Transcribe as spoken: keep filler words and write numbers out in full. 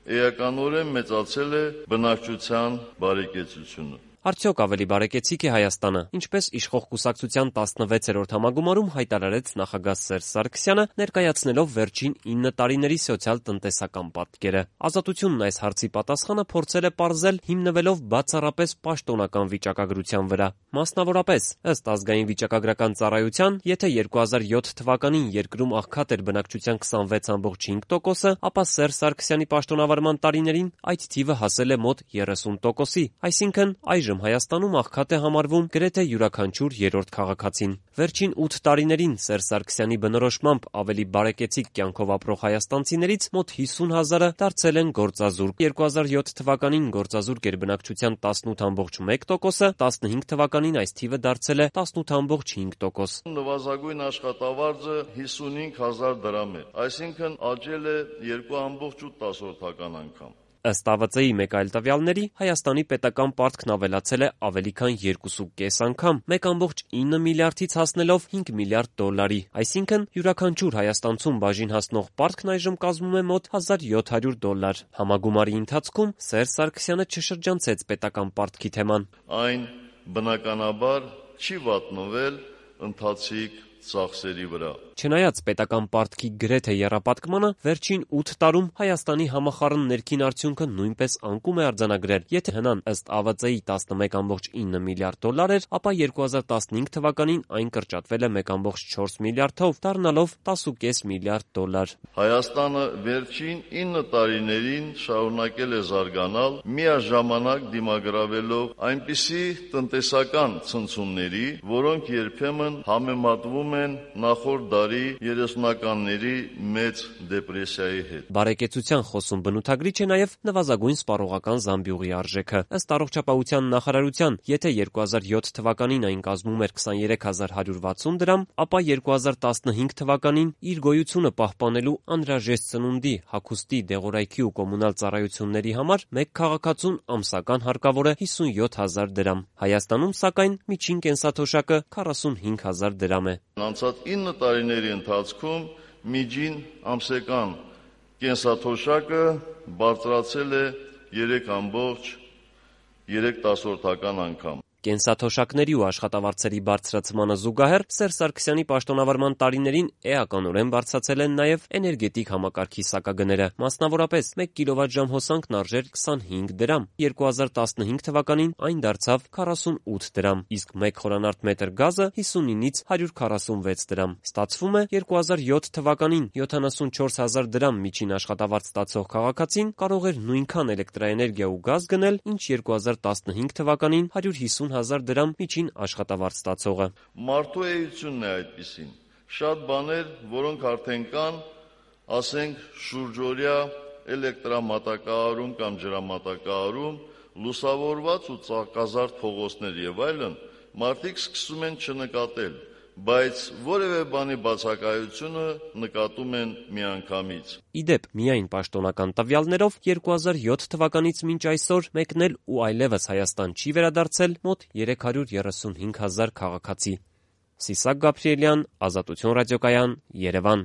էականորեն մեծացել է բնակչության բարեկեցությունը։ Արդյոք ավելի բարեկեցիկ է Հայաստանը, ինչպես իշխող կուսակցության տասնվեցերորդ համագումարում հայտարարեց նախագահ Սերժ Սարգսյանը, ներկայացնելով վերջին ինը տարիների սոցիալ-տնտեսական պատկերը։ Ազատությունն այս հարցի պատասխանը փորձել է պարզել հիմնվելով բացառապես պաշտոնական վիճակագրության վրա։ Մասնավորապես, ըստ ազգային վիճակագրական ծառայության, եթե երկու հազար յոթ թվականին երկրում աղքատ էր բնակչության քսանվեց կόμμα հինգ տոկոսը, ապա Սերժ Սարգսյանի պաշտոնավարման տարիներին այդ թիվը հասել է մոտ երեսուն տոկոսի, այսինքն այժմ Հայաստանում աղքատ է համարվում գրեթե յուրաքանչյուր երրորդ քաղաքացին։ Վերջին ութ տարիներին Սերժ Սարգսյանի բնորոշմամբ ավելի բարեկեցիկ կյանքով ապրող հայաստանցիներից մոտ հիսուն հազարը դարձել են գործազուրկ։ երկու հազար յոթ թվականին գործազուրկ էր բնակչության տասնութ կόμμα մեկ տոկոսը, տասնհինգ թվականին այս թիվը դարձել է տասնութ կόμμα հինգ տոկոս։ Նվազագույն աշխատավարձը հիսունհինգ հազար դրամ է, այսինքն աճել է երկու կόμma օգ անգամ։ Ըստ Ա Վծ Ի մեկ այլ տվյալների, Հայաստանի պետական պարտքն ավելացել է ավելի քան երկուսուկես անգամ, մեկ կόμma ինը միլիարդից հասնելով հինգ միլիարդ դոլարի, այսինքն յուրաքանչյուր հայաստանցուն բաժին հասնող պարտքն այժմ կազմում է մոտ հազար յոթ հարյուր դոլար։ Համագումարի ընթացքում Սերժ Սարգսյանը չշրջանցեց պետական պարտքի թեման։ Այն բնականաբար չի վատնվել ընթացիկ ծախսերի վրա։ Չնայած պետական պարտքի գրեթե եռապատկմանը, վերջին ութ տարում Հայաստանի համախառն ներքին արդյունքը նույնպես անկում է արձանագրել։ Եթե հնան ըստ Ա Վծ Ի տասնմեկ կόμma ինը միլիարդ դոլար էր, ապա երկու հազար տասնհինգ թվականին այն կրճատվել է մեկ կόμma չորս միլիարդով, դառնալով տասն ու կես միլիարդ դոլար։ Հայաստանը վերջին ինը տարիներին շարունակել է զարգանալ, միաժամանակ դիմագրավելով այնպիսի տնտեսական ցնցումների, որոնք երբեմն համեմատվում են նախորդ դարի երեսունականների մեծ դեպրեսիայի հետ։ Բարեկեցության խոսուն բնութագրիչ է նաև նվազագույն սպառողական զամբյուղի արժեքը։ Ըստ Առողջապահության նախարարության, եթե երկու հազար յոթ թվականին այն կազմում էր քսաներեք հազար հարյուր վաթսուն դրամ, ապա երկու հազար տասնհինգ թվականին իր գոյությունը պահպանելու անհրաժեշտ սնունդի, հագուստի, դեղորայքի ու կոմունալ ծառայությունների համար մեկ քաղաքացուն ամսական հարկավոր է հիսունյոթ հազար դրամ։ Հայաստանում, սակայն, միջին կենսաթոշակը քառասունհինգ հազար դրամ է։ Անցած ինը տարիների ընթացքում միջին ամսական կենսաթոշակը բարձրացել է երեք կόμμα երեք անգամ։ Կենսաթոշակների ու աշխատավարձերի բարձրացմանը զուգահեռ Սերժ Սարգսյանի պաշտոնավարման տարիներին էականորեն բարձրացել են նաև էներգետիկ համակարգի սակագները։ Մասնավորապես, մեկ կիլովատժամ հոսանքն արժեր քսանհինգ դրամ, երկու հազար տասնհինգ թվականին այն դարձավ քառասունութ դրամ, իսկ մեկ խորանարդ մետր գազը հիսունինից հարյուր քառասունվեց դրամ։ Ստացվում է, երկու հազար յոթ թվականին յոթանասունչորս հազար դրամ միջին աշխատավարձ ստացող քաղաքացին կարող էր նույնքան էլեկտրաէներգիա ու գազ գնել, ինչ երկու հազար տասնհինգ թվականին հարյուր հիսուն հազար դրամ միջին աշխատավարձ ստացողը։ Մարդու էությունն է այդպիսին։ Շատ բաներ, որոնք արդեն կան, ասենք շուրջօրյա էլեկտրամատակարարում կամ ջրամատակարարում, լուսավորված ու ծակազարդ փողոցներ եւ այլն, մարդիկ սկսում են չնկատել, բայց որևէ բանի բացակայությունը նկատում են միանգամից։ Իդեպ, միայն պաշտոնական տվյալներով երկու հազար յոթ թվականից մինչ այսօր մեկնել ու այլևս Հայաստան չի վերադարձել մոտ երեք հարյուր երեսունհինգ հազար քաղաքացի։ Սիսակ Գաբրիելյան, Ազատություն ռադիոկայան, Երևան։